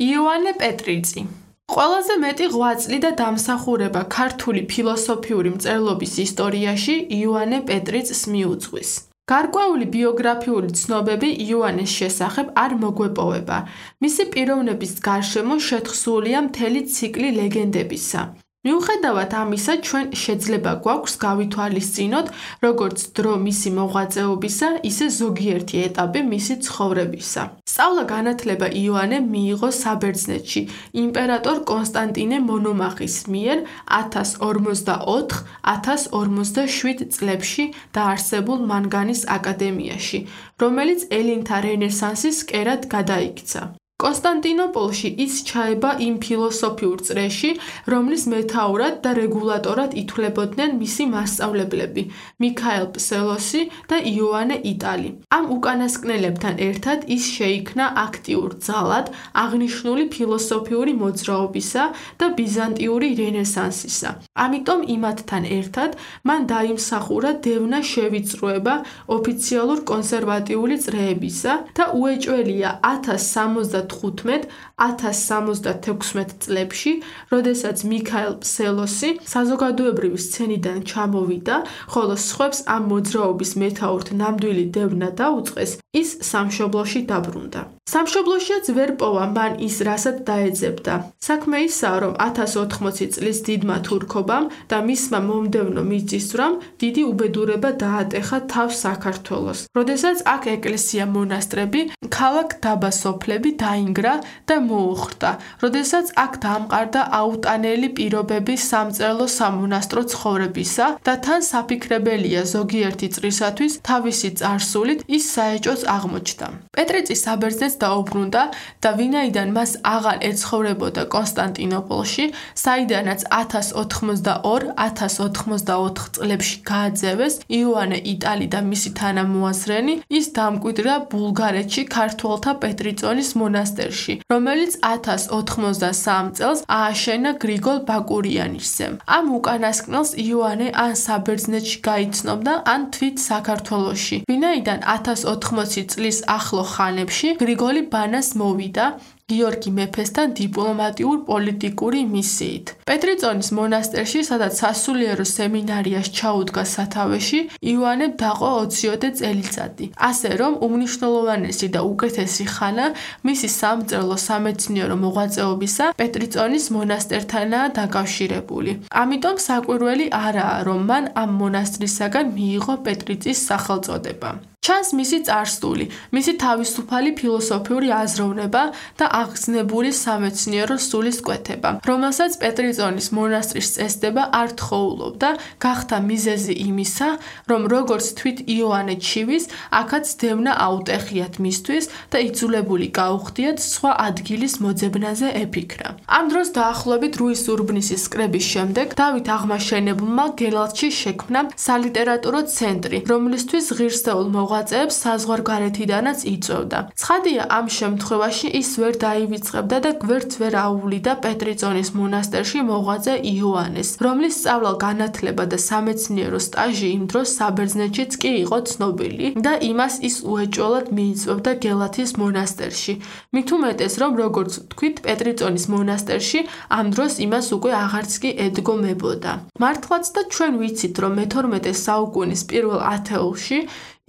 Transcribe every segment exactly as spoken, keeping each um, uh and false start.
იოანე პეტრიცი ყველაზე მეტი ღვაწლი და დამსახურება ქართული ფილოსოფიური მწერლობის ისტორიაში იოანე პეტრიცს მიუძღვის. გარკვეული ბიოგრაფიული ცნობები იოანეს შესახებ არ მოგვეპოვება. მისი პიროვნების გარშემო შეთხსულია მთელი ციკლი ლეგენდებისა. მიუხედავად ამისა, ჩვენ შეძლება გვაქვს გავითვალისწინოთ, როგორც დრო მისი მოღვაწეობისა, ისე ზოგიერთი ეტაპი მისი ცხოვრებისა. სწავლა-განათლება იოანე მიიღო საბერძნეთში იმპერატორ კონსტანტინე მონომახის მიერ ათას ორმოცდაოთხ ათას ორმოცდაშვიდ წლებში დაარსებულ მანგანის აკადემიაში, რომელიც ელინთა რენესანსის კერად გადაიქცა. კონსტანტინოპოლში ის ჩაება იმ ფილოსოფიურ წრეში, რომლის მეთაურად და რეგულატორად ითვლებოდნენ მისი მასწავლებლები მიქაელ ფსელოსი და იოანე იტალი. ამ უკანასკნელებთან ერთად ის შეიქმნა აქტიურ ძალად აღნიშნული ფილოსოფიური მოძრაობისა და ბიზანტიური რენესანსისა. ამიტომ იმათთან ერთად მან დაიმსახურა დევნა შევიწროება ოფიციალურ კონსერვატიული წრეებისა და უეჭველია ათას სამოცდათხუთმეტ ათას სამოცდათექვსმეტ წლებში, როდესაც მიქაელ ფსელოსი საზოგადოებრივი სცენიდან ჩამოვიდა, ხოლო სხვებს ამ მოძრაობის მეთაურთ ნამდვილი დევნა დაუწყეს, ის სამშობლოში დაბრუნდა. სამშობლოშიაც ვერ პოვა მან ის, რასაც დაეძებდა. საქმე ისაა, რომ ათას ოთხმოცი წლის დიდმა თურქობამ და მისმა მომდევნო მიწისძვრამ დიდი უბედურება დაატეხა თავს საქართველოს. როდესაც აქ ეკლესია მონასტრები, ქალაქ დაბა სოფლები დაინგრა და მოუხდა, როდესაც აქ დაამყარდა აუტანელი პირობები სამწერლო სამონასტრო ცხოვრებისა და თან საფიქრებელია ზოგიერთი წრისათვის თავისი წარსულით ის საეჭვოც აღმოჩნდა. პეტრიცი საბერძნეთს დაუბრუნდა და ვინაიდან მას აღარ ეცხოვრებოდა კონსტანტინოპოლში, საიდანაც ათას ოთხმოცდაორ ათას ოთხმოცდაოთხ წლებში გააძევეს იოანე იტალი და მისი თანამოაზრენი, ის დამკვიდრა ბულგარეთში ქართველთა პეტრიწონის მონასტერში, რომელიც ათას ოთხმოცდასამ წელს ააშენა გრიგოლ ბაკურიანისძემ. ამ უკანასკნელს იოანე ან საბერძნეთში გაიცნობდა, ან თვით საქართველოში. ვინაიდან ათას ოთხმოცი წლის ახლო ხანებში გრიგოლი ბანას მოვიდა გიორგი მეფესთან დიპლომატიურ პოლიტიკური მისიით. პეტრიწონის მონასტერში, სადაც სასულიერო სემინარიას ჩაუდგა სათავეში, იოანემ დაყო ოციოდე წელიწადი. ასე რომ უმნიშვნელოვანესი და უკეთესი ხანა მისი სამწერლო სამეცნიერო მოღვაწეობისა პეტრიწონის მონასტერთანაა დაკავშირებული. ამიტომ საკვირველი არაა, რომ მან ამ მონასტრისაგან მიიღო პეტრიწის სახელწოდება. ჩანს მისი წარსული, მისი თავისუფალი ფილოსოფიური აზროვნება და აღგზნებული სამეცნიერო სულისკვეთება, რომელსაც პეტრიწონის მონასტრის წესდება არ თხოვლობდა, გახდა მიზეზი იმისა, რომ როგორც თვით იოანე ჩივის, აქაც დევნა აუტეხიათ მისთვის და იძულებული გაუხდიათ სხვა ადგილის მოძებნაზე ეფიქრა. ამ დროს დაახლოებით რუის ურბნისის კრების შემდეგ დავით აღმაშენებელმა გელათში შექმნა სალიტერატურო ცენტრი, რომლისთვის ღირსეულ მოღვაწეებს საზღვარგარეთიდანაც იწვევდა. ცხადია, ამ შემთხვევაში ის ვერ დაივიწყებდა და გვერდს ვერ აუვლიდა პეტრიწონის მონასტერში მოღვაწე იოანეს, რომლის სწავლა-განათლება და სამეცნიერო სტაჟი იმ დროს საბერძნეთშიც კი იყო ცნობილი და იმას ის უეჭველად მიიწვევდა გელათის მონასტერში. მით უმეტეს, რომ როგორც ვთქვით, პეტრიწონის მონასტერში ამ დროს იმას უკვე აღარც კი ედგომებოდა. მართლაც და ჩვენ ვიცით, რომ მეთორმეტე საუკუნის პირველ ათეულში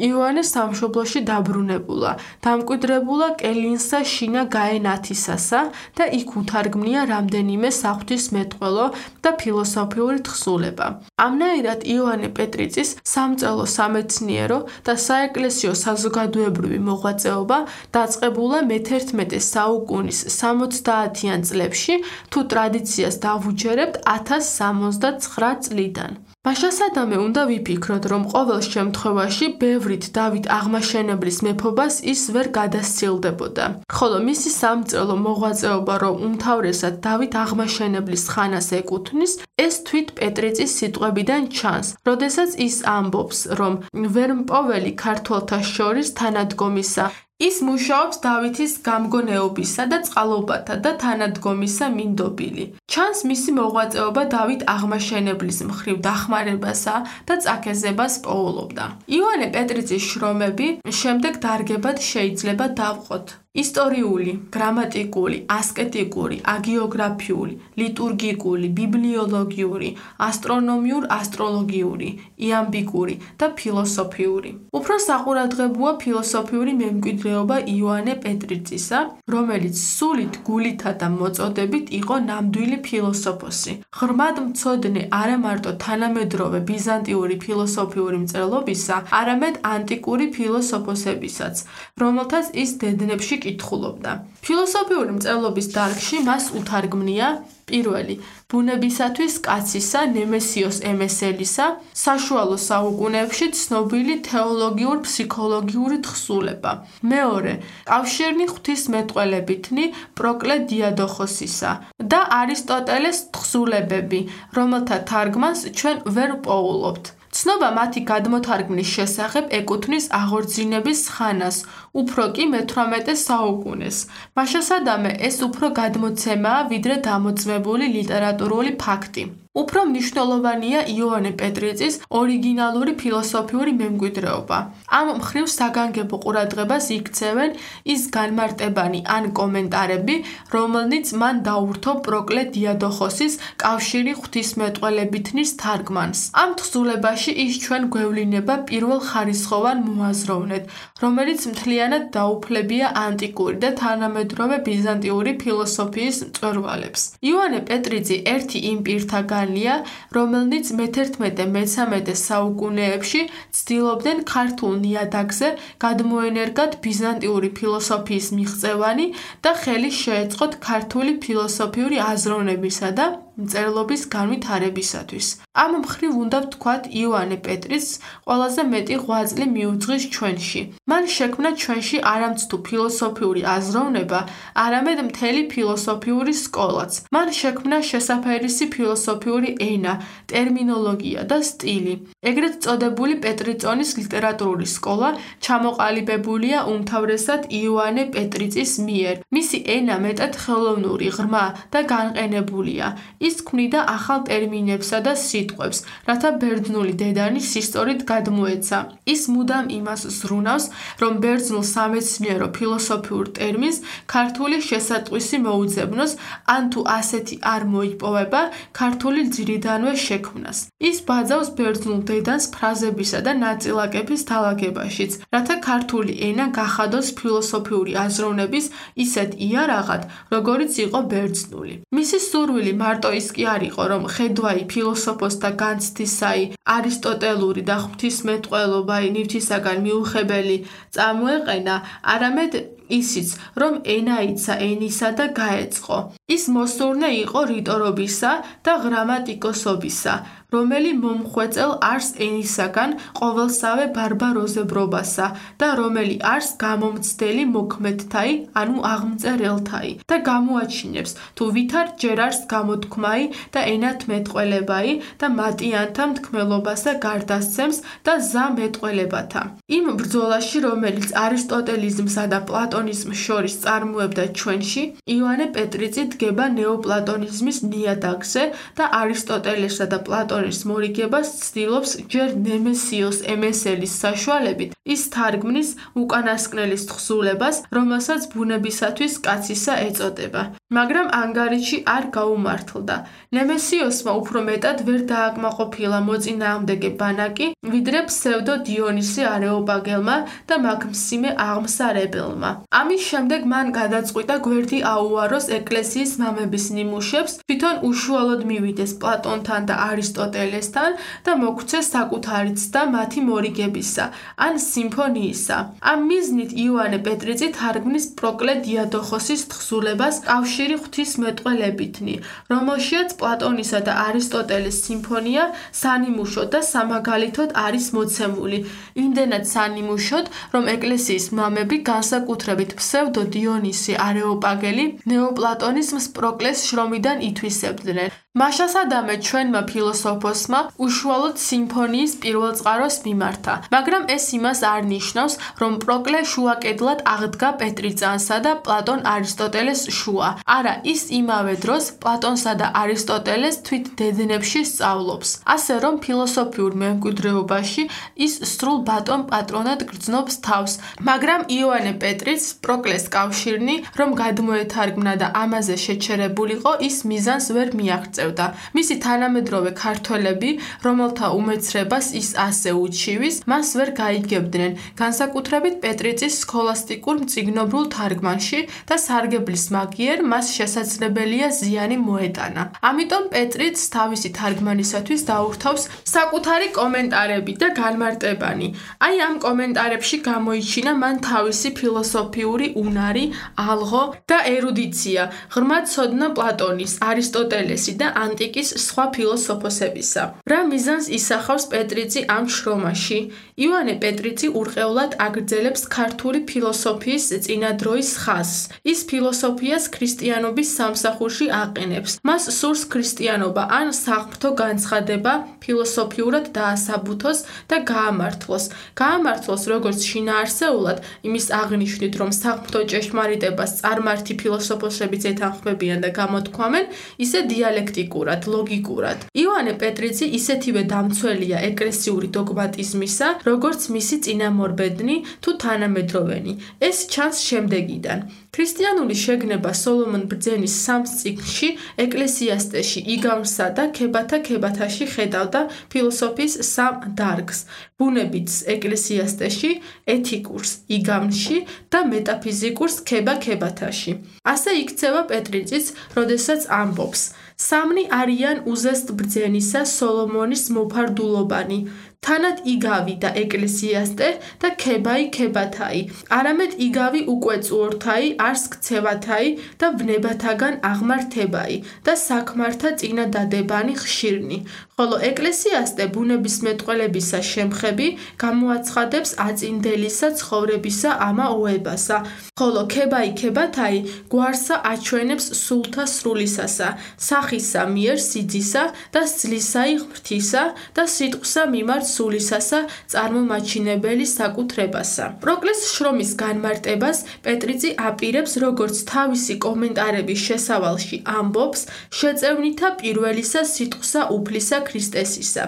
იოანე სამშობლოში დაბრუნებულა, დამკვიდრებულა კელინსა შინა გაენათისასა და იქ უთარგმნია რამდენიმე საღვთისმეტყველო და ფილოსოფიური თხზულება. ამნაირად იოანე პეტრიცის სამწერლო სამეცნიერო და საეკლესიო საზოგადოებრივი მოღვაწეობა დაწყებულა მეთერთმეტე საუკუნის სამოცდაათიან წლებში, თუ ტრადიციას დავუჯერებთ ათას სამოცდაცხრა წლიდან. მაშასადამე უნდა ვიფიქროთ, რომ ყოველ შემთხვევაში ბევრით დავით აღმაშენებლის მეფობას ის ვერ გადასცილდებოდა, ხოლო მისი სამწერლო მოღვაწეობა, რომ უმთავრესად დავით აღმაშენებლის ხანას ეკუთვნის, ეს თვით პეტრიწის სიტყვებიდან ჩანს, როდესაც ის ამბობს, რომ ვერმპოველი ქართველთა შორის თანადგომისა ის მუშაობს დავითის გამგონეობისა და წყალობათა და თანადგომისა მინდობილი. ჩანს მისი მოღვაწეობა დავით აღმაშენებლის მხრივ დახმარებასა და წაქეზებას პოულობდა. იოანე პეტრიცის შრომები შემდეგ დარგებად შეიძლება დავყოთ. ისტორიული, გრამატიკული, ასკეტიკური, აგიოგრაფიული, ლიტურგიკული, ბიბლიოლოგიური, ასტრონომიურ-ასტროლოგიური, იამბიკური და ფილოსოფიური. უფრო საყურადღებოა ფილოსოფიური მემკვიდრეობა იოანე პეტრიწისა, რომელიც სულით, გულითა და მოწოდებით იყო ნამდვილი ფილოსოფოსი. ღრმად მცოდნე არა მარტო თანამედროვე ბიზანტიური ფილოსოფიური მწერლობისა, არამედ ანტიკური ფილოსოფოსებისაც, რომელთაც ის დედნებში კითხულობდა. ფილოსოფიური მწერლობის დარგში მას უთარგმნია პირველი ბუნებისათვის კაცისა ნემესიოს ემესელისა საშუალო საუკუნეებში ცნობილი თეოლოგიურ-ფსიქოლოგიური თხზულება. მეორე კავშირნი ღვთისმეტყველებითნი პროკლე დიადოხოსისა და არისტოტელეს თხზულებები, რომელთა თარგმანს ჩვენ ვერ პოულობთ. ცნობა მათი გადმოთარგმნის შესახებ ეკუთვნის აღორძინების ხანას, უფრო კი მეთვრამეტე საუკუნეს. მაშასადამე ეს უფრო გადმოცემაა, ვიდრე დამოწმებული ლიტერატურული ფაქტი. უფრო მნიშვნელოვანია იოანე პეტრიწის ორიგინალური ფილოსოფიური მემკვიდრეობა. ამ მხრივ საგანგებო ყურადღებას იქცევენ ის განმარტებანი ან კომენტარები, რომელნიც მან დაურთო პროკლე დიადოხოსის კავშირი ღვთისმეტყველებითნის თარგმანს. ამ თხზულებაში ის ჩვენ გვევლინება პირველხარისხოვან მოაზროვნედ, რომელიც მთლიანად დაუფლებია ანტიკური და თანამედროვე ბიზანტიური ფილოსოფიის მწვერვალებს. იოანე პეტრიწი ერთი იმ პირთაგან რომელნიც მეთერთმეტე-მესამედე საუკუნეებში ცდილობდნენ ქართულ ნიადაგზე გადმოენერგათ ბიზანტიური ფილოსოფიის მიღწევანი და ხელი შეეწყოთ ქართული ფილოსოფიური აზროვნებისა და მწერლობის განვითარებისათვის. ამ მხრივ უნდა ვთქვათ იოანე პეტრიწს ყველაზე მეტი ღვაწლი მიუძღვის ჩვენში. მან შექმნა ჩვენში არამცთუ ფილოსოფიური აზროვნება, არამედ მთელი ფილოსოფიური სკოლაც. მან შექმნა შესაფერისი ფილოსოფიური ენა, ტერმინოლოგია და სტილი. ეგრეთ წოდებული პეტრიწონის ლიტერატურული სკოლა ჩამოყალიბებულია უმთავრესად იოანე პეტრიწის მიერ. მისი ენა მეტად ხელოვნური, ღრმა და განყენებულია. ის ქმნიდა ახალ ტერმინებსა და სიტყვებს, რათა ბერძნული დედანი სისტორით გადმოეცა. ის მუდამ იმას ზრუნავს, რომ ბერძნულ სამეცნიერო ფილოსოფიურ ტერმინს ქართული შესატყვისი მოუძებნოს, ან თუ ასეთი არ მოიპოვება, ქართული ძირიდანვე შექმნას. ის ბაძავს ბერძნულ დედანს ფრაზებისა და ნაწილაკების დალაგებაშიც, რათა ქართული ენა გახადოს ფილოსოფიური აზროვნების ისეთ იარაღად, როგორიც იყო ბერძნული. მისი სურვილი მარტო ის კი არ იყო, რომ ხედვაი ფილოსოფოსთა განცდისაი, არისტოტელური და ღვთისმეტყველობაი ნივთისაგან მიუხებელი წამოეყენა, არამედ ისიც, რომ ენაიცა ენისა და გაეწყო. ის მოსურნე იყო რიტორობისა და გრამატიკოსობისა, რომელი მომხვეწელ არს ენისაგან ყოველსავე ბარბაროზებრობასა და რომელი არს გამომცდელი მოქმედთაი, ანუ აღმწერელთაი და გამოაჩინებს, თუ ვითარ ჯერ არს გამოთქმაი და ენათმეტყველებაი და მატიანთა მთქმელობასა გარდასცემს და ზა მეტყველებათა. იმ ბრძოლაში, რომელიც არისტოტელიზმსა და პლატონიზმს შორის წარმოებდა ჩვენში, იოანე პეტრიწი დგება ნეოპლატონიზმის ნიადაგზე და არისტოტელესა და პლატონის მორიგებას ცდილობს ჯერ ნემესიოს ემესელის საშუალებით ის თარგმნის უკანასკნელის თხზულებას, რომელსაც ბუნებისათვის კაცისა ეწოდება. მაგრამ ანგარიში არ გაუმართლდა. ნემესიოსმა უფრო მეტად ვერ დააკმაყოფილა მოწინააღმდეგე ბანაკი, ვიდრე ფსევდო დიონისე არეოპაგელმა და მაგმსიმე აღმსარებელმა. ამის შემდეგ მან გადაწყვიტა გვერდი აუაროს ეკლესიის მამების ნიმუშებს, თვითონ უშუალოდ მივიდეს პლატონთან და არისტოტელესთან და მოგვცეს საკუთარი ცდა მათი მორიგებისა, ან სიმფონიისა. ამ მიზნით იოანე პეტრიწი თარგმნის პროკლე დიადოხოსის თხზულებას კავშირი ღვთისმეტყველებითნი, რომელშიაც პლატონისა და არისტოტელეს სიმფონია სანიმუშოდ და სამაგალითოდ არის მოცემული. იმდენად სანიმუშოდ, რომ ეკლესიის მამები განსაკუთრებით ფსევდო დიონისე არეოპაგელი ნეოპლატონიზმს პროკლეს შრომიდან ითვისებდნენ. მაშასადამე ჩვენმა ფილოსოფოსმა უშუალოდ სიმფონიის პირველწყაროს მიმართა, მაგრამ ეს იმას არ ნიშნავს, რომ პროკლე შუაკედლად აღდგა პეტრიწანსა და პლატონ არისტოტელეს შუა. არა, ის იმავე დროს პლატონსა და არისტოტელეს თვით დედნებში სწავლობს. ასე რომ ფილოსოფიურ მემკვიდრეობაში ის სრულ ბატონ პატრონად გრძნობს თავს, მაგრამ იოანე პეტრიც პროკლეს კავშირნი, რომ გადმოეთარგმნა და ამაზე შეჩერებულიყო, ის მიზანს ვერ მიაღწევდა. მისი თანამედროვე ქართველები, რომელთა უმეცრებას ის ასე უჩივის, მას ვერ გაიგებდნენ, განსაკუთრებით პეტრიცის სქოლასტიკურ მწიგნობრულ თარგმანში და სარგებლის მაგიერ მას შესაძლებელია ზიანი მოეტანა. ამიტომ პეტრიც თავისი თარგმანისათვის დაურთავს საკუთარი კომენტარები და განმარტებანი. აი ამ კომენტარებში გამოიჩინა მან თავისი ფილოსოფიური უნარი, ალღო და ერუდიცია, ღრმა ცოდნა პლატონის, არისტოტელესი და ანტიკის სხვა ფილოსოფოსებისა. რა მიზანს ისახავს პეტრიცი ამ შრომაში? იოანე პეტრიცი ურყევლად აგრძელებს ქართული ფილოსოფიის წინადროის ხაზს. ის ფილოსოფიას ქრისტიანობის სამსახურში აყენებს. მას სურს ქრისტიანობა ან საღვთო განცხადება ფილოსოფიურად დაასაბუთოს და გაამართლოს. გაამართლოს როგორც შინაარსეულად, იმის აღნიშნით, რომ საღვთო ჭეშმარიტებას წარმართი ფილოსოფოსებიც ეთანხმებიან და გამოთქვამენ, ისე დიალექტიკურად, ლოგიკურად. იოანე პეტრიცი ისეთივე დამცველია ეკლესიური დოგმატიზმისა, როგორც მისი წინამორბედნი თუ თანამედროვენი. ეს ჩანს შემდეგიდან. ქრისტიანული შეგნება სოლომონ ბრძენის სამ წიგნში ეკლესიასტეში იგავსა და ქებათა ქებათაში ხედავდა ფილოსოფიის სამ დარგს: ბუნებითს ეკლესიასტეში, ეთიკურს იგავში და მეტაფიზიკურს ქება ქებათაში. ასე იქცევა პეტრიციც, როდესაც ამბობს: სამნი არიან უზესტ ბრძენისა სოლომონის მოფარდულობანი, თანად იგავი და ეკლესიასტე და ქებაი ქებათაი, არამედ იგავი უკვეწუორთაი არს ქცევათაი და ვნებათაგან აღმართებაი და საქმართა წინა დადებანი ხშირნი, ხოლო ეკლესიასტე ბუნების მეტყველებისა შემხები გამოაცხადებს აწინდელისა ცხოვრებისა ამა ოებასა, ხოლო ქებაი ქებათაი გვარსა აჩვენებს სულთა სრულისასა, სახისა მიერ სიძისა და სძლისაი ღმრთისა და სიტყვსა მიმართ სულისასა წარმომაჩინებელი საკუთრებასა. პროკლეს შრომის განმარტებას პეტრიცი აპირებს, როგორც თავისი კომენტარების შესავალში ამბობს, შეწევნითა პირველისა სიტყვსა უფლისა ქრისტესისა.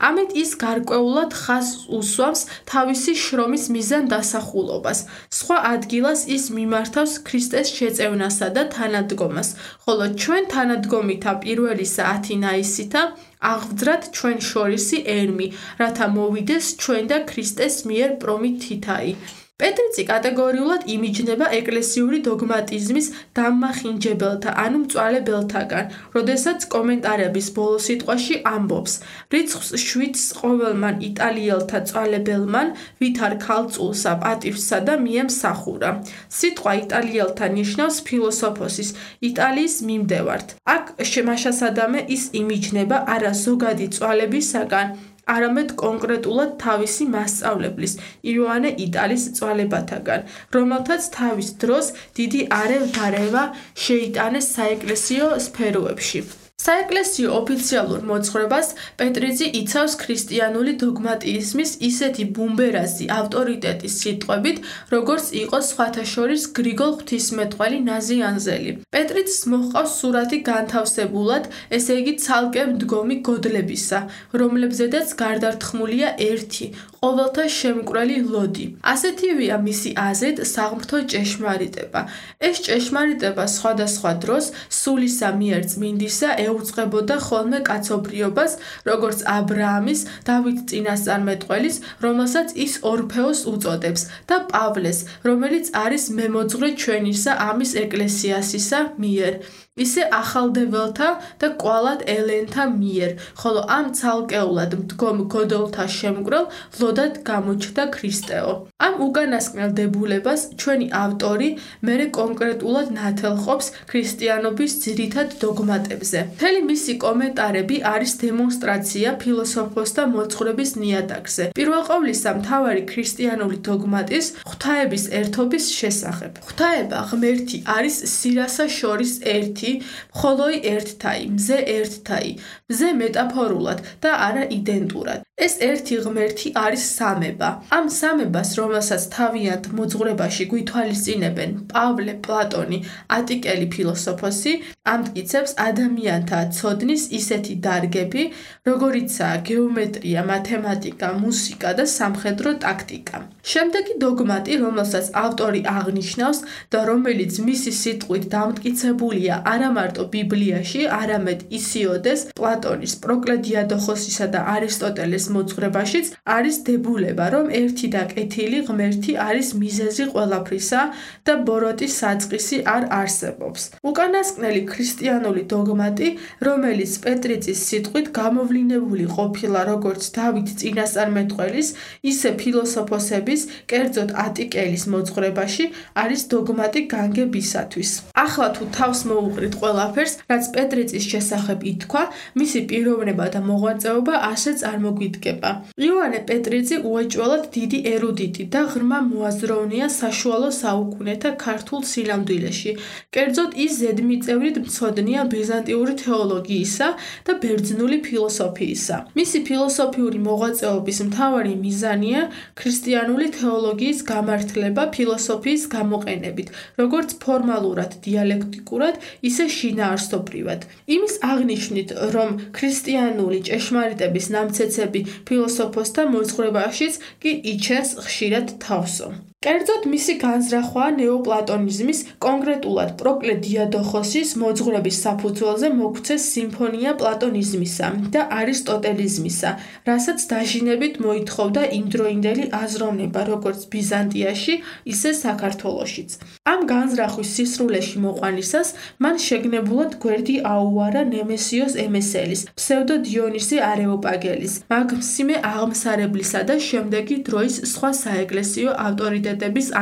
ამით ის გარკვეულად ხაზს უსვამს თავისი შრომის მიზან დასახულობას. სხვა ადგილას ის მიმართავს ქრისტეს შეწევნასა და თანადგომას, ხოლო ჩვენ თანადგომითა პირველისა ათინაისითა აღვძრათ ჩვენ შორისი არმი, რათა მოვიდეს ჩვენ და ქრისტეს მიერ პრომითითაი. პეტრიცი კატეგორიულად იმიჯნება ეკლესიური დოგმატიზმის დამმახინჯებელთა, ანუ მწვალებელთაგან, როდესაც კომენტარების ბოლო სიტყვაში ამბობს: რიცხვს შვიდს ყოველმან იტალიელთა წვალებელმან, ვითარ ქალწულსა პატივსა და მიემსახურა. სიტყვა იტალიელთა ნიშნავს ფილოსოფოსის, იტალიის მიმდევართ. აქ მაშასადამე ის იმიჯნება არა ზოგადი წვალებისაგან, არამედ კონკრეტულად თავისი მასწავლებლის, იოანე იტალის წვალებათაგან, რომელთაც თავის დროს დიდი არევა-დარევა შეიტანეს საეკლესიო სფეროებში. საეკლესიო ოფიციალურ მოძღვრებას პეტრიცი იცავს ქრისტიანული დოგმატიზმის ისეთი ბუმბერაზი ავტორიტეტის სიტყვებით, როგორც იყო სხვათა შორის გრიგოლ ღვთისმეტყველი ნაზიანზელი. პეტრიცს მოჰყავს სურათი განთავსებულად, ესე იგი ცალკე მდგომი გოდლებისა, რომლებზედაც გარდართხმულია ერთი, ყოველთა შემკვრელი ლოდი. ასეთივეა მისი აზრით საღმრთო ჭეშმარიტება. ეს ჭეშმარიტება სხვადასხვა დროს სულისა მიერ წმინდისა ეუწყებოდა ხოლმე კაცობრიობას, როგორც აბრაამის, დავით წინასწარმეტყველის, რომელსაც ის ორფეოს უწოდებს, და პავლეს, რომელიც არის მემოძღვრე ჩვენისა ამის ეკლესიასისა მიერ. ისე ახალდებელთა და კვალად ელენთა მიერ, ხოლო ამ ცალკეულად მდგომ გოდოლთა შემკვრელ ლოდად გამოჩნდა ქრისტეო. ამ უკანასკნელ დებულებას ჩვენი ავტორი მერე კონკრეტულად ნათელყოფს ქრისტიანობის ძირითად დოგმატებზე. მთელი მისი კომენტარები არის დემონსტრაცია ფილოსოფოსთა მოძღვრების ნიადაგზე. პირველ ყოვლისა მთავარი ქრისტიანული დოგმატის ღვთაების ერთობის შესახებ. ღვთაება ღმერთი არის სირასა შორის ერთი, მხოლოი ერთთაი, მზე ერთთაი, მზე მეტაფორულად და არა იდენტურად. ეს ერთი ღმერთი არის სამება. ამ სამებას, რომელსაც თავიანთ მოძღვრებაში გვითვალისწინებენ პავლე, პლატონი, ატიკელი ფილოსოფოსი, ამტკიცებს ადამიანთა ცოდნის ისეთი დარგები, როგორიცაა გეომეტრია, მათემატიკა, მუსიკა და სამხედრო ტაქტიკა. შემდეგი დოგმატი, რომელსაც ავტორი აღნიშნავს და რომელიც მისი სიტყვით დამტკიცებულია არა მარტო ბიბლიაში, არამედ ისიოდეს, პლატონის, პროკლე დიადოხოსისა და არისტოტელეს მოძღვრებაშიც არის დებულება, რომ ერთი და კეთილი ღმერთი არის მიზეზი ყველაფრისა და ბოროტის საწყისი არ არსებობს. უკანასკნელი ქრისტიანული დოგმატი, რომელიც პეტრიწის სიტყვით გამოვლინებული ყოფილა როგორც დავით წინასწარმეტყველის, ისე ფილოსოფოსების, კერძოდ ატიკელის მოძღვრებაში, არის დოგმატი განგებისათვის. ახლა თუ თავს მოუყრით ყველაფერს, რაც პეტრიწის შესახებ ითქვა, მისი პიროვნება და მოღვაწეობა ასე წარმოგვიდგება. იოანე პეტრიწი უეჭველად დიდი ერუდიტი და ღრმა მოაზროვნეა საშუალო საუკუნეთა ქართულ სინამდვილეში. კერძოდ ის ზედმიწევრით მცოდნეა ბიზანტიური თეოლოგიისა და ბერძნული ფილოსოფიისა. მისი ფილოსოფიური მოღვაწეობის მთავარი მიზანია ქრისტიანული თეოლოგიის გამართლება ფილოსოფიის გამოყენებით, როგორც ფორმალურად, დიალექტიკურად, ისე შინაარსობრივად. იმის აღნიშნით, რომ ქრისტიანული ჭეშმარიტების ნამცეცები ფილოსოფოსთა მოძღვრებაშიც კი იჩენს ხშირად თავსო. კერძოდ მისი განზრახვაა ნეოპლატონიზმის, კონკრეტულად პროკლე დიადოხოსის მოძღვრების საფუძველზე მოგვცეს სიმფონია პლატონიზმისა და არისტოტელიზმისა, რასაც დაჟინებით მოითხოვდა იმდროინდელი აზროვნება, როგორც ბიზანტიაში, ისე საქართველოშიც. ამ განზრახვის სისრულეში მოყვანისას მან შეგნებულად გვერდი აუარა ნემესიოს ემესელის, ფსევდო დიონისე არეოპაგელის, მაგსიმე აღმსარებლისა და შემდეგი დროის სხვა საეკლესიო ავტორიტეტების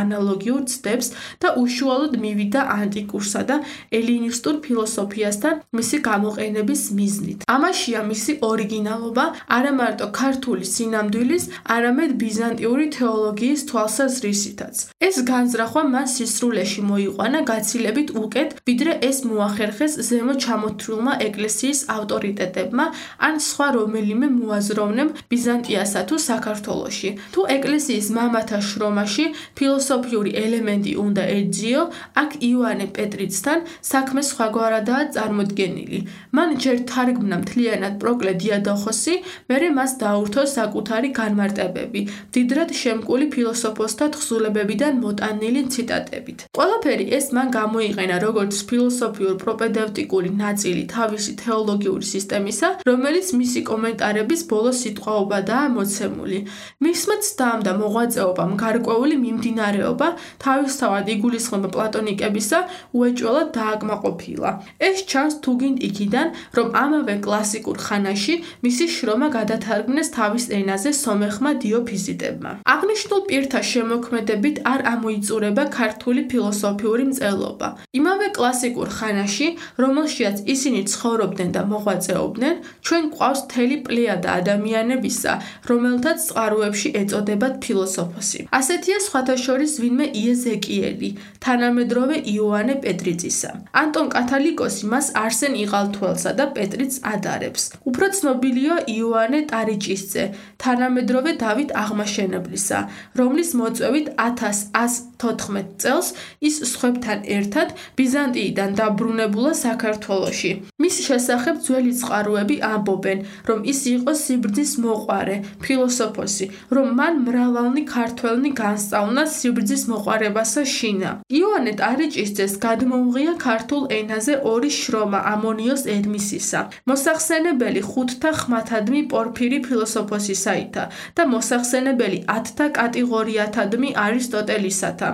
ანალოგიურ ცდებს და უშუალოდ მივიდა ანტიკურსა და ელინისტურ ფილოსოფიასთან მისი გამოყენების მიზნით. ამაშია მისი ორიგინალობა არა მარტო ქართული სინამდვილის, არამედ ბიზანტიური თეოლოგიის თვალსაზრისითაც. ეს განზრახვა მას სისრულეში მოიყვანა გაცილებით უკეთ, ვიდრე ეს მოახერხეს ზემო ჩამოთვლილმა ეკლესიის ავტორიტეტებმა ან სხვა რომელიმე მოაზროვნემ ბიზანტიასა თუ საქართველოში. თუ ეკლესიის მამათა შრომაში ფილოსოფიური ელემენტი უნდა ეძიო, აქ იოანე პეტრიცთან საქმე სხვაგვარადაა წარმოდგენილი. მან ჯერ თარგმნა მთლიანად პროკლე დიადოხოსი, მერე მას დაურთო საკუთარი განმარტებები, მდიდრად შემკული ფილოსოფოსთა თხზულებებიდან მოტანილი ციტატებით. ყველაფერი ეს მან გამოიყენა როგორც ფილოსოფიურ პროპედევტიკური ნაწილი თავისი თეოლოგიური სისტემისა, რომელიც მისი კომენტარების ბოლო სიტყვაობადაა მოცემული. მისმა ცდამ და მოღვაწეობამ გარკვეული მიმდინარეობა თავისთავად იგულისხმება პლატონიკებისა უეჭველად დააკმაყოფილა. ეს ჩანს თუგინ იქიდან, რომ ამავე კლასიკურ ხანაში მისი შრომა გადათარგმნეს თავის ენაზე სომეხმა დიოფიზიტებმა. აღნიშნულ პირთა შემოქმედებით არ ამოიწურება ქართული ფილოსოფიური მწერლობა. იმავე კლასიკურ ხანაში, რომელშიაც ისინი ცხოვრობდნენ და მოღვაწეობდნენ, ჩვენ გვყავს მთელი პლეიადა ადამიანებისა, რომელთაც წყაროებში ეწოდებათ ფილოსოფოსი. ასეთია სხვათა შორის ვინმე იეზეკიელი, თანამედროვე იოანე პეტრიწისა. ანტონ კათალიკოსი მას არსენ იყალთუელსა და პეტრიც ადარებს. უფრო ცნობილია იოანე ტარიჭისძე, თანამედროვე დავით აღმაშენებლისა, რომლის მოწვევით ათას ას თოთხმეტ წელს ის სხვებთან ერთად ბიზანტიიდან დაბრუნებულა საქართველოში. მის შესახებ ძველი წყაროები ამბობენ, რომ ის იყო სიბრძის მოყვარე, ფილოსოფოსი, რომ მან მრავალნი ქართველნი განსწავლა სიბრძის მოყვარებასა შინა. იოანე ტარიჭისძეს გადმოუღია ქართულ ენაზე ორი შრომა ამონიოს ედმისისა, მოსახსენებელი ხუთთა ხმათადმი პორფირი ფილოსოფოსისაითა და მოსახსენებელი ათთა კატეგორიათადმი არისტოტელისათა.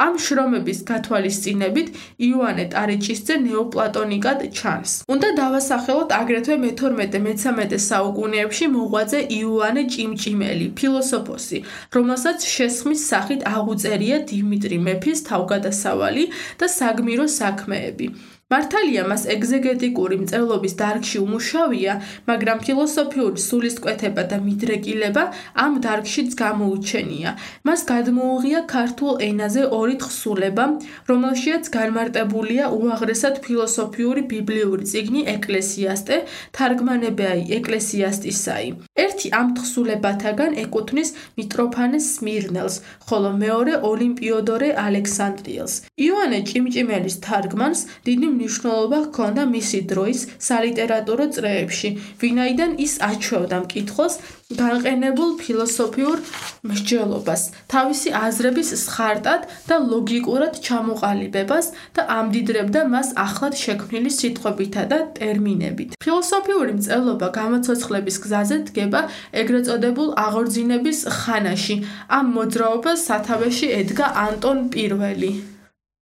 ამ შრომების გათვალისწინებით იოანე ტარიჭისძე ნეოპლატონიკად ჩანს. უნდა დავასახელოთ აგრეთვე მეთორმეტე-მეთერთმეტე საუკუნეებში მოღვაწე იოანე ჭიმჭიმელი, ფილოსოფოსი, რომელსაც შესხმის სახით აღუწერია დიმიტრი მეფის თავგადასავალი და საგმირო საქმეები. მართალია მას ეგზეგეტიკური მწერლობის დარგში უმუშავია, მაგრამ ფილოსოფიური სულისკვეთება და მიდრეკილება ამ დარგშიც გამოუჩენია. მას გადმოუღია ქართულ ენაზე ორი თხზულება, რომელშიაც განმარტებულია უაღრესად ფილოსოფიური ბიბლიური წიგნი ეკლესიასტე, თარგმანებაი ეკლესიასტისაი. ერთი ამ თხზულებათაგან ეკუთვნის მიტროფანეს სმირნელს, ხოლო მეორე ოლიმპიოდორე ალექსანდრიელს. იოანე ჭიმჭიმელის თარგმანს დიდი მნიშვნელობა ჰქონდა მისი დროის სალიტერატურო წრეებში, ვინაიდან ის აჩვევდა მკითხველს განყენებულ ფილოსოფიურ მსჯელობას, თავისი აზრების სხარტად და ლოგიკურად ჩამოყალიბებას და ამდიდრებდა მას ახლად შექმნილი სიტყვებითა და ტერმინებით. ფილოსოფიური მწერლობა გამოცოცხლების გზაზე დგება ეგრეთ წოდებულ აღორძინების ხანაში. ამ მოძრაობას სათავეში ედგა ანტონ პირველი.